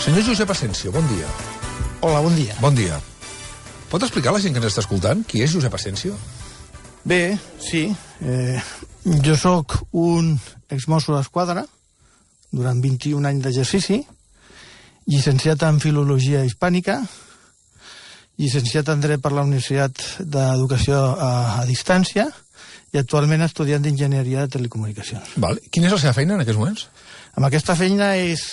Senyor Josep Asensio, bon dia. Hola, bon dia. Bon dia. Pot explicar a la gent que ens està escoltant qui és Josep Asensio? Bé, sí. Jo sóc un exmosso d'Esquadra durant 21 anys d'exercici, llicenciat en Filologia Hispànica, llicenciat en Dret per la Universitat d'Educació a Distància i actualment estudiant d'Enginyeria de Telecomunicacions. Val. Quina és la seva feina en aquests moments? Amb aquesta feina és...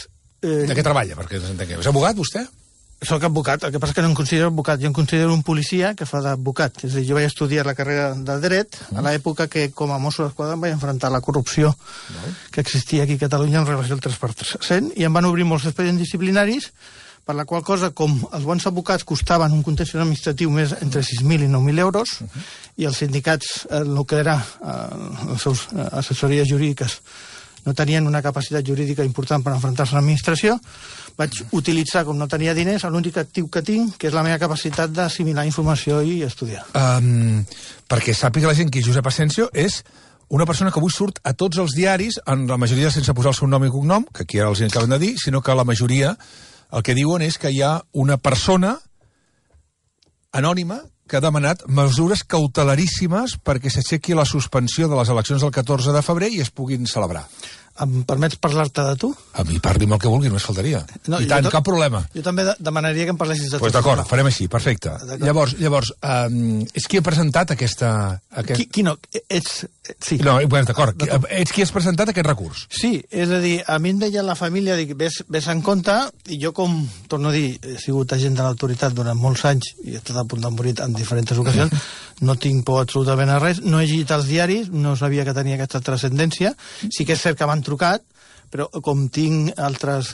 De què treballa, perquè ens entenguem? És abogat, vostè? Soc advocat, el que passa és que no em considero advocat, jo em considero un policia que fa d'advocat. És a dir, jo vaig estudiar la carrera de Dret a l'època que com a mosso d'Esquadra em vaig enfrontar a la corrupció que existia aquí a Catalunya en relació al 3%, i em van obrir molts expedients disciplinaris, per la qual cosa, com els bons advocats costaven un contenciós administratiu més entre 6.000 i 9.000 euros, i els sindicats, el que era les seves assessories jurídiques, no tenien una capacitat jurídica important per enfrontar-se a l'administració, vaig utilitzar, com no tenia diners, l'únic actiu que tinc, que és la meva capacitat d'assimilar informació i estudiar. Perquè sàpiga la gent que Josep Asensio és una persona que avui surt a tots els diaris, en la majoria sense posar el seu nom i cognom, que aquí ara els acaben de dir, sinó que la majoria el que diuen és que hi ha una persona anònima que ha demanat mesures cautelaríssimes perquè s'aixequi la suspensió de les eleccions del 14 de febrer i es puguin celebrar. Em permets parlar-te de tu? A mi parli'm el que vulgui, només faltaria. No, I tant, cap problema. Jo també demanaria que em parlessis de tu. Doncs d'acord, farem així, perfecte. Llavors, és qui ha presentat aquesta... Qui no? Ets... Sí. No, d'acord, ets qui has presentat aquest recurs. Sí, és a dir, a mi em deia la família, dic, ves en compte, i jo com, torno a dir, he sigut agent de l'autoritat durant molts anys i he estat a punt de morir en diferents ocasions, no tinc por absolutament a res, no he llegit els diaris, no sabia que tenia aquesta transcendència, sí que és cert que m'han trucat, però com tinc altres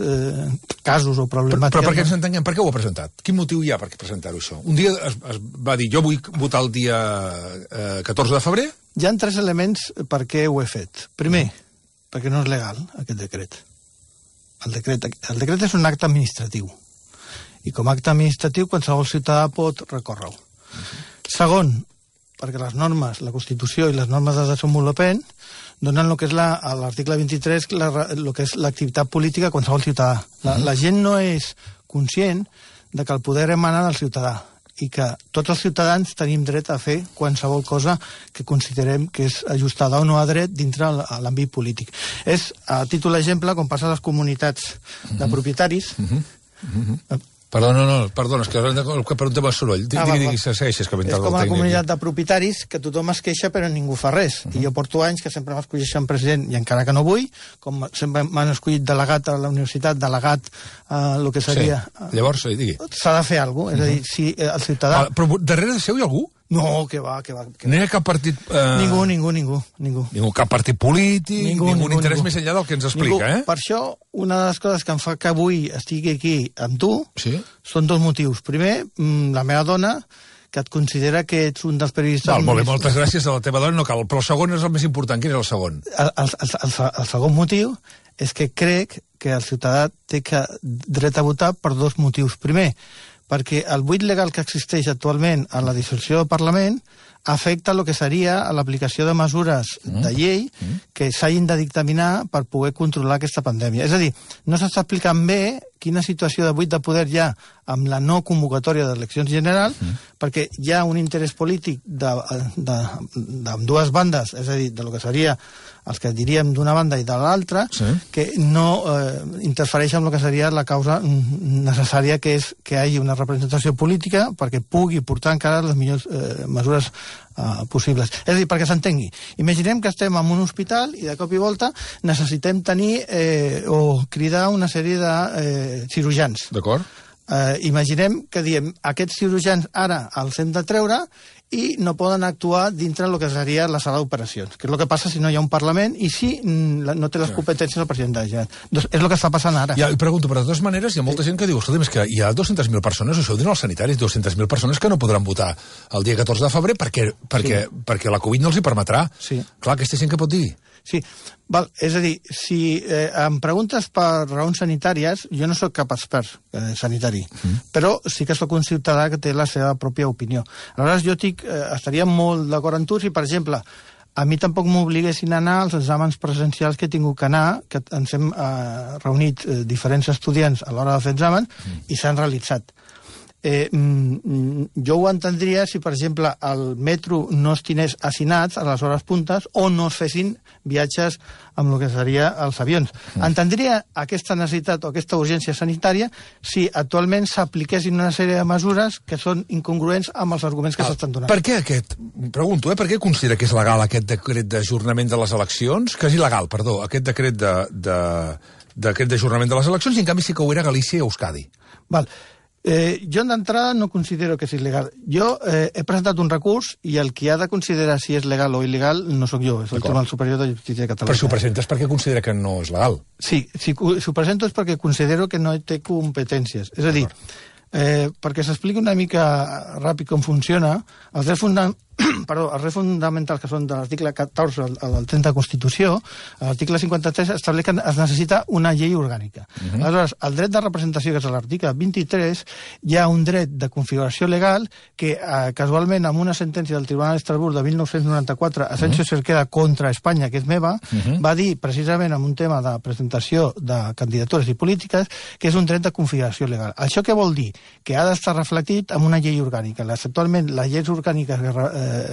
casos o problemàtiques... Però perquè ens entenguem, per què ho ha presentat? Quin motiu hi ha per presentar-ho, això? Un dia es va dir, jo vull votar el dia 14 de febrer? Hi ha 3 elements per què ho he fet. Primer, perquè no és legal, aquest decret. El decret és un acte administratiu. I com a acte administratiu, qualsevol ciutadà pot recórrer-ho. Segon, perquè les normes, la Constitució i les normes de desenvolupament donen el que és l'article 23, el que és l'activitat política a qualsevol ciutadà. La gent no és conscient de que el poder emana del ciutadà i que tots els ciutadans tenim dret a fer qualsevol cosa que considerem que és ajustada o no a dret dintre l'àmbit polític. És, a títol d'exemple, com passa a les comunitats de propietaris... Perdona, és que per un tema de soroll. Digui, segueixes que és com una comunitat de propietaris que tothom es queixa però ningú fa res. I jo porto anys que sempre m'escolleixen president i encara que no vull, com sempre m'han escollit delegat a la universitat, delegat a el que seria... Llavors, digui. S'ha de fer alguna cosa. És a dir, si el ciutadà... Però darrere de seu hi ha algú? No, que va. No hi ha cap partit... Ningú. Cap partit polític, ningú interès més enllà del que ens explica, eh? Per això, una de les coses que em fa que avui estigui aquí amb tu són 2 motius. Primer, la meva dona, que et considera que ets un dels periodistes... Molt bé, moltes gràcies a la teva dona, no cal. Però el segon és el més important. Quin és el segon? El segon motiu és que crec que el ciutadà té dret a votar per 2 motius. Primer, perquè el buit legal que existeix actualment en la dissolució del Parlament afecta el que seria l'aplicació de mesures de llei que s'hagin de dictaminar per poder controlar aquesta pandèmia. És a dir, no s'està explicant bé quina situació de buit de poder hi ha amb la no convocatòria d'eleccions generals, perquè hi ha un interès polític d'ambdues bandes, és a dir, de lo que seria els que diríem d'una banda i de l'altra, que no interfereix amb el que seria la causa necessària, que és que hi hagi una representació política perquè pugui portar encara les millors mesures possibles. És a dir, perquè s'entengui. Imaginem que estem en un hospital i de cop i volta necessitem tenir o cridar una sèrie de cirurgians. D'acord. Imaginem que diem aquests cirurgians ara els hem de treure i no poden actuar dintre del que seria la sala d'operacions, que és el que passa si no hi ha un Parlament i si no té les competències el president de la Generalitat. Doncs és el que està passant ara. Ja, i pregunto, però de totes maneres hi ha molta gent que diu, escolta, és que hi ha 200.000 persones, això ho diuen els sanitaris, 200.000 persones que no podran votar el dia 14 de febrer perquè la Covid no els hi permetrà. Clar, aquesta gent què pot dir? Sí, val. És a dir, si em preguntes per raons sanitàries, jo no sóc cap expert sanitari, però sí que sóc un ciutadà que té la seva pròpia opinió. Aleshores, jo estaria molt d'acord amb tu si, per exemple, a mi tampoc m'obliguessin a anar als exàmens presencials que he tingut que anar, que ens hem reunit diferents estudiants a l'hora de fer exàmens i s'han realitzat. Jo ho entendria si, per exemple, el metro no es tingués assinats a les hores puntes o no es fessin viatges amb el que seria els avions. Entendria aquesta necessitat o aquesta urgència sanitària si actualment s'apliquessin una sèrie de mesures que són incongruents amb els arguments que s'estan donant. Per què pregunto, per què considera que és legal aquest decret d'ajornament de les eleccions? Que és il·legal, perdó, aquest decret d'ajornament de les eleccions, i en canvi sí que ho era Galícia i Euskadi. Val. Jo d'entrada no considero que és il·legal. Jo he presentat un recurs i el qui ha de considerar si és legal o il·legal no sóc jo, és el Tribunal Superior de Justícia de Catalunya. Però si ho presentes perquè considera que no és legal. Sí, si ho presento és perquè considero que no té competències. És a dir, perquè s'expliqui una mica ràpid com funciona, els drets fonamentals que són de l'article 14 al 30 de Constitució, l'article 53 estableix que es necessita una llei orgànica. Aleshores, el dret de representació, que és l'article 23, hi ha un dret de configuració legal que, casualment, amb una sentència del Tribunal d'Estrasburg de 1994, Asensio Cerqueda contra Espanya, que és meva, va dir, precisament en un tema de presentació de candidatures i polítiques, que és un dret de configuració legal. Això què vol dir? Que ha d'estar reflectit en una llei orgànica. Actualment, les lleis orgàniques que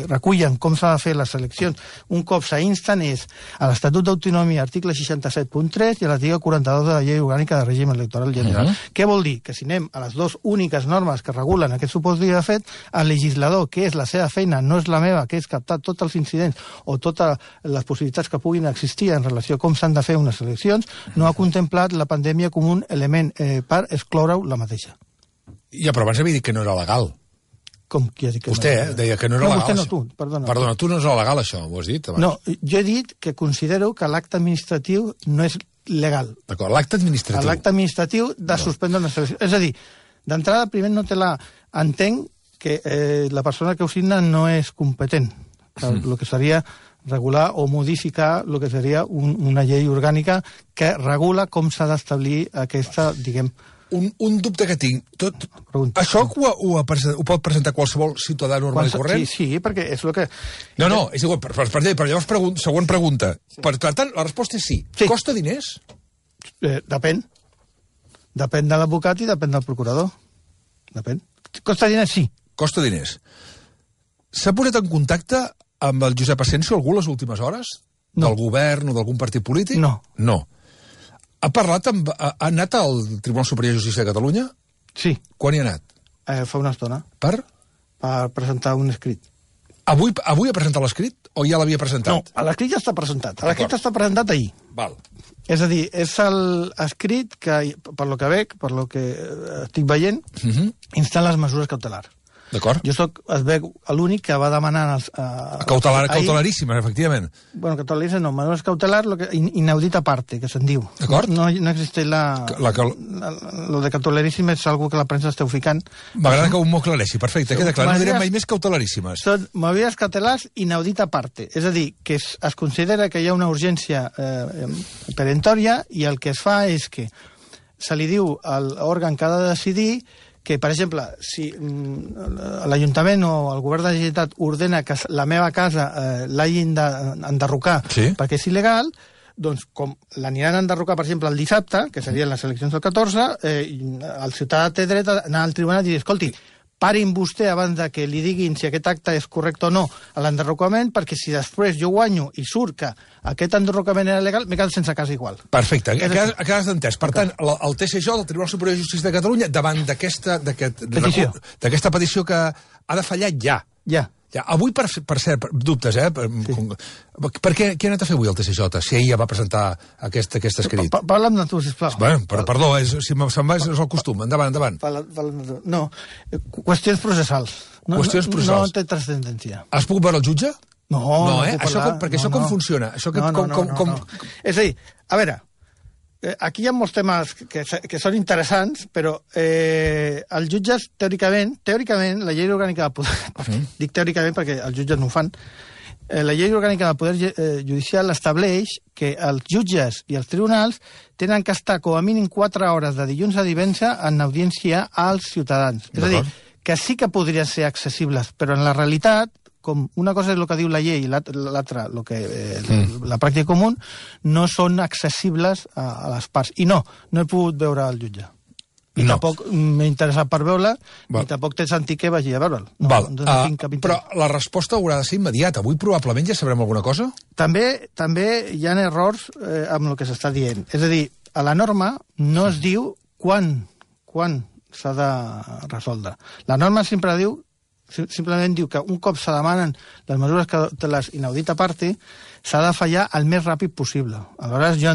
recullen com s'ha de fer les eleccions un cop s'insten és a l'Estatut d'Autonomia, article 67.3 i a l'article 42 de la Llei Orgànica de Règim Electoral General. Què vol dir? Que si anem a les dues úniques normes que regulen aquest supòsit de fet, el legislador, que és la seva feina, no és la meva, que és captar tots els incidents o totes les possibilitats que puguin existir en relació a com s'han de fer unes eleccions, no ha contemplat la pandèmia com un element per excloure-ho la mateixa. Ja, però abans havia dit que no era legal. Com qui ha dit que vostè, no? Deia que no era legal. Vostè no, tu, perdona. Perdona, tu no és legal, això, ho has dit abans. No, jo he dit que considero que l'acte administratiu no és legal. D'acord, l'acte administratiu. L'acte administratiu de suspendre una selecció. És a dir, d'entrada, primer no té la... Entenc que la persona que ho signa no és competent. El que seria regular o modificar el que seria una llei orgànica que regula com s'ha d'establir aquesta, diguem... Un dubte que tinc. Això ho pot presentar qualsevol ciutadà normal i corrent? Sí, perquè és el que... No, és igual, però llavors següent pregunta. Per tant, la resposta és sí. Costa diners? Depèn. Depèn de l'advocat i depèn del procurador. Depèn. Costa diners, sí. Costa diners. S'ha posat en contacte amb el Josep Asensio algú les últimes hores? No. Del govern o d'algun partit polític? No. No. Ha anat al Tribunal Superior de Justícia de Catalunya? Sí. Quan hi ha anat? Fa una estona. Per? Per presentar un escrit. Avui ha presentat l'escrit o ja l'havia presentat? No, l'escrit ja està presentat. L'escrit està presentat ahir. Val. És a dir, és l'escrit que, per lo que veig, per lo que estic veient, insta les mesures cautelars. D'acord. Jo es veu l'únic que va demanar... Cautelaríssimes, efectivament. Bueno, cautelaríssimes no, mesures cautelars, inaudita parte, que se'n diu. D'acord. No existeix lo de cautelaríssimes és algo que la premsa esteu ficant. M'agrada que ho m'ho aclareixi, perfecte, queda clar, no direm mai més cautelaríssimes. Són mesures cautelars inaudita parte, és a dir, que es considera que hi ha una urgència peremptòria i el que es fa és que se li diu a l'òrgan que ha de decidir que, per exemple, si l'Ajuntament o el Govern de la Generalitat ordena que la meva casa l'hagin d'enderrocar perquè és il·legal, doncs com l'aniran a enderrocar, per exemple, el dissabte, que serien les eleccions del 14, el ciutadà té dret a anar al tribunal i dir, escolti, parin vostè abans de que li diguin si aquest acte és correcte o no a l'enderrocament, perquè si després jo guanyo i surt que aquest enderrocament era legal, m'he quedat sense casa igual. Perfecte, acabes d'entès. Per tant, el TSJ, el Tribunal Superior de Justícia de Catalunya, davant d'aquesta petició que ha de fallar ja. Avui, per cert, dubtes, per què ha anat a fer avui el TSJ, si ahir ja va presentar aquest escrit? Parla'm de tu, sisplau. Perdó, se'n va, és el costum. Endavant. No, qüestions processals. No té transcendència. Has pogut veure el jutge? No, perquè això com funciona? És a dir, a veure, aquí hi ha molts temes que són interessants, però els jutges, teòricament, la llei orgànica del poder... Dic teòricament perquè els jutges no ho fan. La llei orgànica del poder judicial estableix que els jutges i els tribunals tenen que estar com a mínim 4 hores de dilluns a divendres en audiència als ciutadans. És a dir, que sí que podrien ser accessibles, però en la realitat, com una cosa és el que diu la llei i l'altra la pràctica comú, no són accessibles a les parts. I no he pogut veure el jutge. I tampoc m'he interessat per veure, i tampoc té sentit que vagi a veure'l. Però la resposta haurà de ser immediata. Avui probablement ja sabrem alguna cosa? També hi ha errors amb el que s'està dient. És a dir, a la norma no es diu quan s'ha de resoldre. La norma simplement diu que un cop se demanen les mesures que té les inaudita parte, s'ha de fallar el més ràpid possible. Aleshores, jo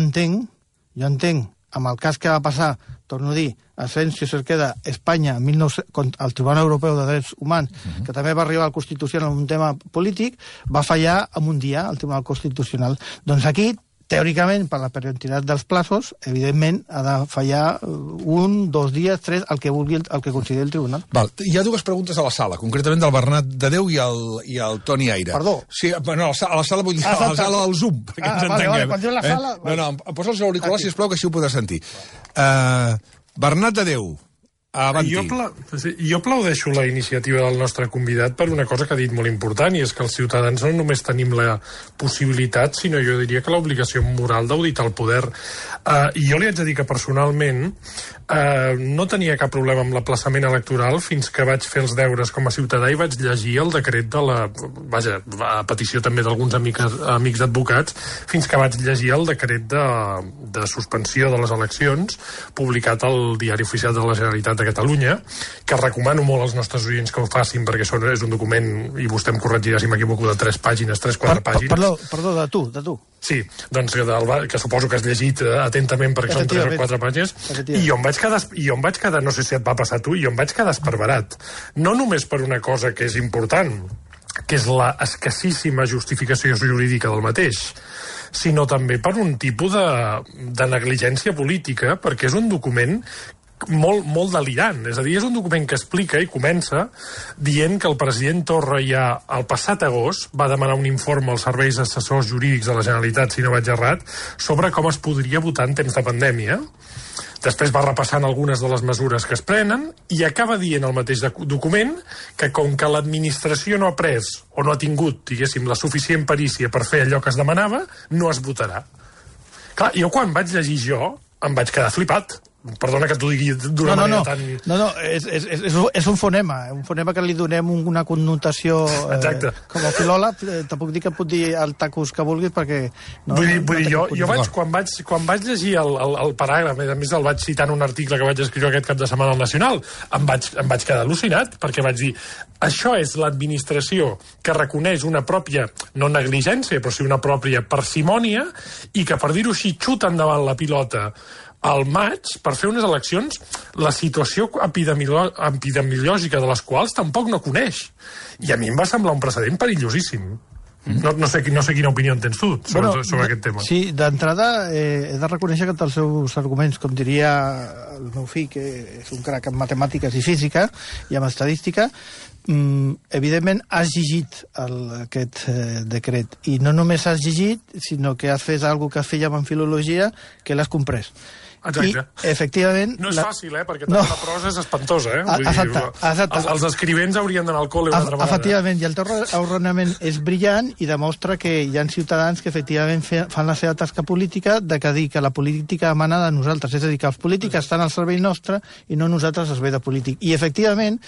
entenc, amb el cas que va passar, torno a dir, Asensio Cerqueda, Espanya, al Tribunal Europeu de Drets Humans, que també va arribar al Constitucional en un tema polític, va fallar en un dia al Tribunal Constitucional. Doncs aquí, teòricament, per la periodicitat dels plazos, evidentment, ha de fallar 1, 2 dies, 3, el que vulgui, el que consideri el tribunal. Hi ha dues preguntes a la sala, concretament del Bernat de Déu i el Toni Aire. Perdó. Sí, bueno, a la sala vull dir, a la sala del Zoom, perquè ens entenguem. Quan diu la sala... No, em posa els auriculars, sisplau, que així ho podràs sentir. Bernat de Déu, avanti. Jo aplaudeixo la iniciativa del nostre convidat per una cosa que ha dit molt important, i és que els ciutadans no només tenim la possibilitat, sinó jo diria que l'obligació moral d'auditar el poder. I jo li haig de dir que personalment no tenia cap problema amb l'aplaçament electoral fins que vaig fer els deures com a ciutadà i vaig llegir el decret de la... Vaja, a petició també d'alguns amics advocats, fins que vaig llegir el decret de suspensió de les eleccions publicat al Diari Oficial de la Generalitat de Catalunya, que recomano molt als nostres oients que ho facin, perquè és un document, i vostè em corregirà si m'equivoco, de 3 pàgines, 3-4 pàgines. Perdó, de tu. Sí, doncs que suposo que has llegit atentament perquè són 3 o 4 pàgines, i jo em vaig quedar, no sé si et va passar a tu, jo em vaig quedar esparverat. No només per una cosa que és important, que és la escassíssima justificació jurídica del mateix, sinó també per un tipus de negligència política, perquè és un document molt delirant. És a dir, és un document que explica i comença dient que el president Torra ja el passat agost va demanar un informe als serveis assessors jurídics de la Generalitat, si no vaig errat, sobre com es podria votar en temps de pandèmia. Després va repassant algunes de les mesures que es prenen i acaba dient el mateix document que com que l'administració no ha pres o no ha tingut, diguéssim, la suficient perícia per fer allò que es demanava, no es votarà. Clar, jo quan vaig llegir em vaig quedar flipat. Perdona que t'ho digui d'una manera tan... No, és un fonema que li donem una connotació com a filòleg. Te puc dir que pot dir el tacus que vulguis perquè... Vull dir, jo quan vaig llegir el paràgraf, a més el vaig citar en un article que vaig escriure aquest cap de setmana al Nacional, em vaig quedar al·lucinat, perquè vaig dir, això és l'administració que reconeix una pròpia, no negligència, però sí una pròpia parsimònia, i que, per dir-ho així, xuta endavant la pilota al maig per fer unes eleccions, la situació epidemiològica de les quals tampoc no coneix. I a mi em va semblar un precedent perillosíssim. No sé quina opinió en tens tu sobre aquest tema. Sí, d'entrada he de reconèixer que els seus arguments, com diria el meu fill, que és un crac en matemàtiques i física i en estadística, evidentment has llegit aquest decret, i no només has llegit, sinó que has fet alguna que fèiem en filologia, que l'has comprès. Exacte. I, efectivament... No és fàcil, perquè tota la prosa és espantosa, Exacte. Els escrivents haurien d'anar al col·le una altra vegada. Efectivament, i el teu raonament és brillant i demostra que hi ha ciutadans que efectivament fan la seva tasca política de que dir que la política emana de nosaltres, és a dir, que els polítics estan al servei nostre i no nosaltres al servei de polític. I, efectivament,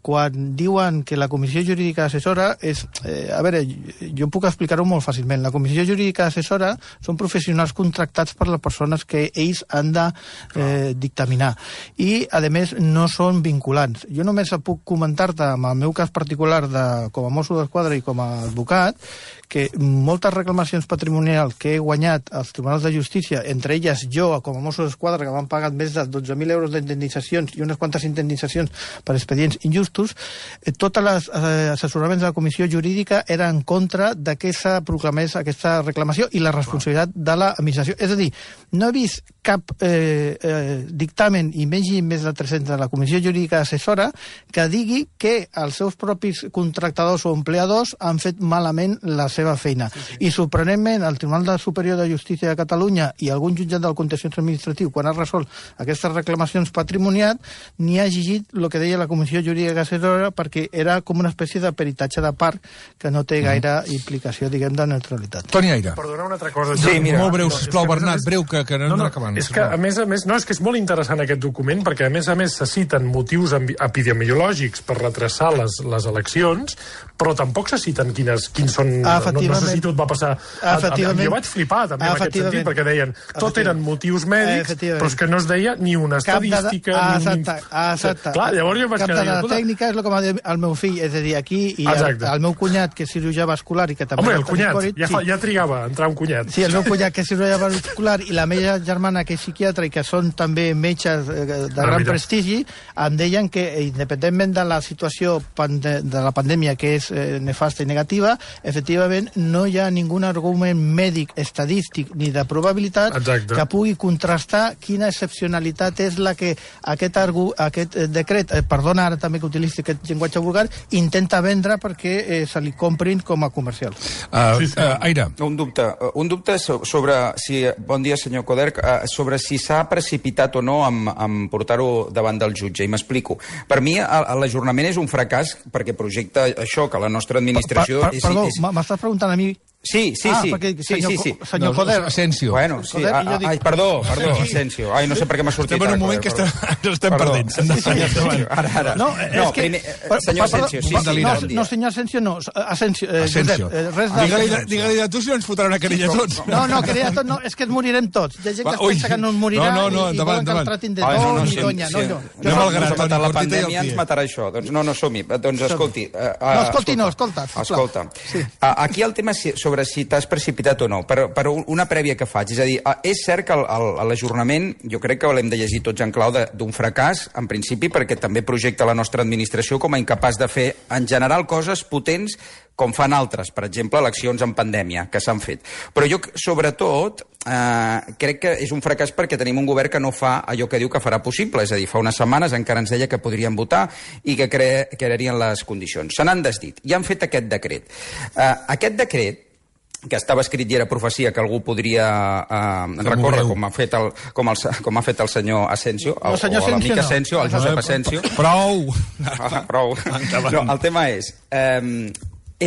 quan diuen que la Comissió Jurídica Assessora és... a veure, jo puc explicar-ho molt fàcilment. La Comissió Jurídica Assessora són professionals contractats per les persones que ells han de dictaminar. I, a més, no són vinculants. Jo només puc comentar-te, amb el meu cas particular com a mosso d'esquadra i com a advocat, que moltes reclamacions patrimonials que he guanyat als tribunals de justícia, entre elles jo, com a mosso d'esquadra, que m'han pagat més de 12.000 euros d'indemnitzacions i unes quantes indemnitzacions per expedients injustos, tots els assessoraments de la Comissió Jurídica eren en contra de que se proclamés aquesta reclamació i la responsabilitat de l'administració. És a dir, no he vist cap dictamen, i més de 300 de la Comissió Jurídica Assessora, que digui que els seus propis contractadors o empleadors han fet malament la seva feina. I sorprenentment, el Tribunal Superior de Justícia de Catalunya i algun jutjat del contenciós administratiu, quan ha resolt aquestes reclamacions patrimonials, ni ha exigit el que deia la Comissió Jurídica Assessora, perquè era com una espècie de peritatge de part que no té gaire implicació, diguem, de neutralitat. Toni Aire. Perdona una altra cosa. Sí, mira, molt breu, sisplau, Bernat, breu, que anem acabant. És que, a més, és que és molt interessant aquest document, perquè, a més, se citen motius epidemiològics per retrasar les eleccions, però tampoc se citen quins són... No sé si tot va passar... Jo vaig flipar, també, en aquest sentit, perquè deien tot eren motius mèdics, però és que no es deia ni una estadística... Exacte. Clar, llavors jo vaig quedar... Cap de la tècnica és el que m'ha dit el meu fill, és a dir, aquí, i el meu cunyat, que és cirurgià vascular i que també... Home, el cunyat, ja trigava a entrar un cunyat. Sí, el meu cunyat, que és cirurgià vascular, i la meva germana, que és psiquiatra i que són també metges de gran prestigi, em deien que, independentment de la situació de la pandèmia, que és nefasta i negativa, efectivament no hi ha ningú argument mèdic, estadístic ni de probabilitat que pugui contrastar quina excepcionalitat és la que aquest decret, perdona ara també que utilitzi aquest llenguatge vulgar, intenta vendre perquè se li comprin com a comercial. Aire. Un dubte sobre si, bon dia senyor Coderch, sobre si s'ha precipitat o no en portar-ho davant del jutge, i m'explico. Per mi l'ajornament és un fracàs perquè projecta això, que la nostra administració... Perdó, m'estàs preguntant a mi? Sí. Perquè senyor Coderch... Asensio. Bueno, sí. Ai, perdó, Asensio. Ai, no sé per què m'ha sortit. Estem en un moment que ens estem perdent. Ara. No, senyor Asensio, sí. No, senyor Asensio, no. Asensio. Digue-li de tu si no ens fotran una querella tots. No, querella tots no, és que ens morirem tots. Hi ha gent que es pensa que no ens morirà i volen que el tratin de don i donya. La pandèmia ens matarà això. Doncs no, som-hi. Doncs escolti. No, escolta. Aquí el tema és sobre si t'has precipitat o no, per una prèvia que faig. És a dir, és cert que l'ajornament, jo crec que l'hem de llegir tots en clau d'un fracàs, en principi, perquè també projecta la nostra administració com a incapaç de fer, en general, coses potents com fan altres, per exemple, eleccions en pandèmia, que s'han fet. Però jo, sobretot, crec que és un fracàs perquè tenim un govern que no fa allò que diu que farà possible, és a dir, fa unes setmanes encara ens deia que podrien votar i que crearien les condicions. Se n'han desdit i han fet aquest decret. Aquest decret, que estava escrit i era profecia que algú podria recórrer, com ha fet el senyor Asensio, o l'amic Asensio, el Josep Asensio. Prou! No, el tema és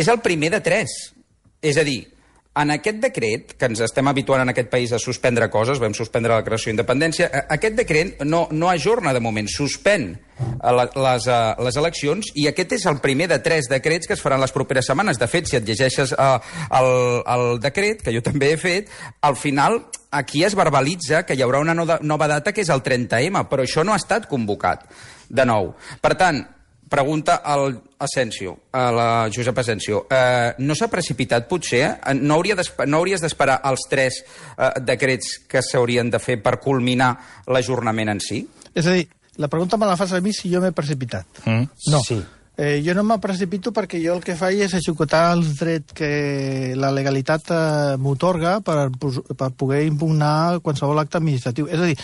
el primer de 3. És a dir, en aquest decret, que ens estem habituant en aquest país a suspendre coses, vam suspendre la creació d'independència, aquest decret no ajorna de moment, suspèn les eleccions, i aquest és el primer de 3 decrets que es faran les properes setmanes. De fet, si et llegeixes el decret, que jo també he fet, al final aquí es verbalitza que hi haurà una nova data que és el 30M, però això no ha estat convocat de nou. Per tant, pregunta al Asensio, a la Josep Asensio, no s'ha precipitat potser? No hauries d'esperar els 3 decrets que s'haurien de fer per culminar l'ajornament en si? És a dir, la pregunta me la fas a mi si jo m'he precipitat. No. Sí. Jo no me precipito perquè jo el que faig és executar els drets que la legalitat m'atorga per poder impugnar qualsevol acte administratiu. És a dir,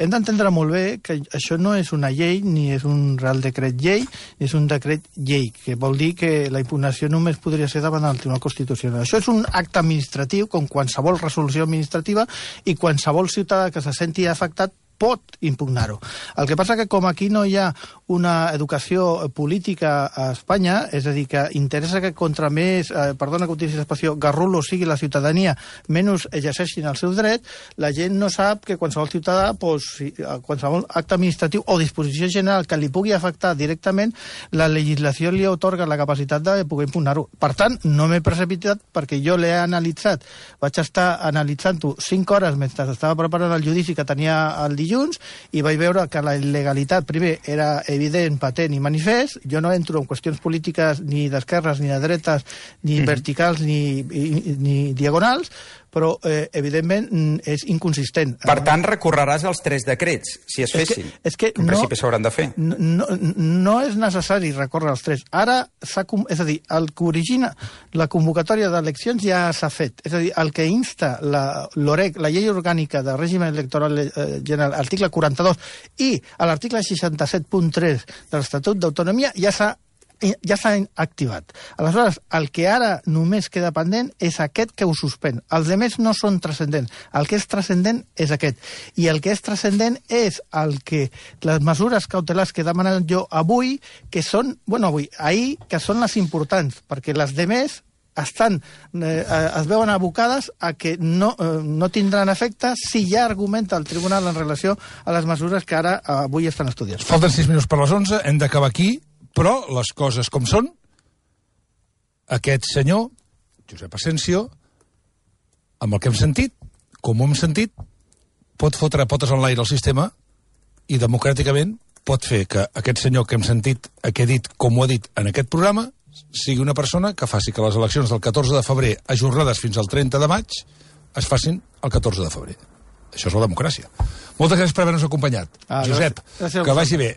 hem d'entendre molt bé que això no és una llei, ni és un real decret llei, ni és un decret llei, que vol dir que la impugnació només podria ser davant del Tribunal Constitucional. Això és un acte administratiu, com qualsevol resolució administrativa, i qualsevol ciutadà que se senti afectat pot impugnar-ho. El que passa que com aquí no hi ha una educació política a Espanya, és a dir, que interessa que contra més, perdona que utilitzi l'expressió, garrulo sigui la ciutadania, menys exerceixin el seu dret, la gent no sap que qualsevol ciutadà, qualsevol acte administratiu o disposició general que li pugui afectar directament, la legislació li atorga la capacitat de poder impugnar-ho. Per tant, no m'he precipitat perquè jo l'he analitzat. Vaig estar analitzant-ho 5 hores mentre estava preparant el judici que tenia el dilluns i vaig veure que la il·legalitat, primer, era evident, patent i manifest. Jo no entro en qüestions polítiques ni d'esquerres, ni de dretes, ni verticals, ni diagonals, però evidentment és inconsistent. Per tant, recorreràs als 3 decrets, si es fessin. És que en principi s'hauran de fer. No és necessari recórrer als 3. Ara, és a dir, el que origina la convocatòria d'eleccions ja s'ha fet. És a dir, el que insta l'OREC, la llei orgànica de règim electoral general, article 42, i a l'article 67.3 de l'Estatut d'Autonomia ja s'ha activat. Aleshores, el que ara només queda pendent és aquest que ho suspèn. Els altres no són transcendents. El que és transcendent és aquest. I el que és transcendent és les mesures cautelars que he demanat jo avui, que són, ahir, que són les importants, perquè les altres es veuen abocades a que no tindran efecte si ja argumenta el tribunal en relació a les mesures que ara avui estan estudiant. Falten 6 minuts per les 11, hem d'acabar aquí, però les coses com són, aquest senyor, Josep Asensio, amb el que hem sentit, com ho hem sentit, pot fotre potes en l'aire al sistema i democràticament pot fer que aquest senyor que hem sentit, que ha dit com ho ha dit en aquest programa, sigui una persona que faci que les eleccions del 14 de febrer, ajornades fins al 30 de maig, es facin el 14 de febrer. Això és la democràcia. Moltes gràcies per haver-nos acompanyat. Josep, que vagi bé.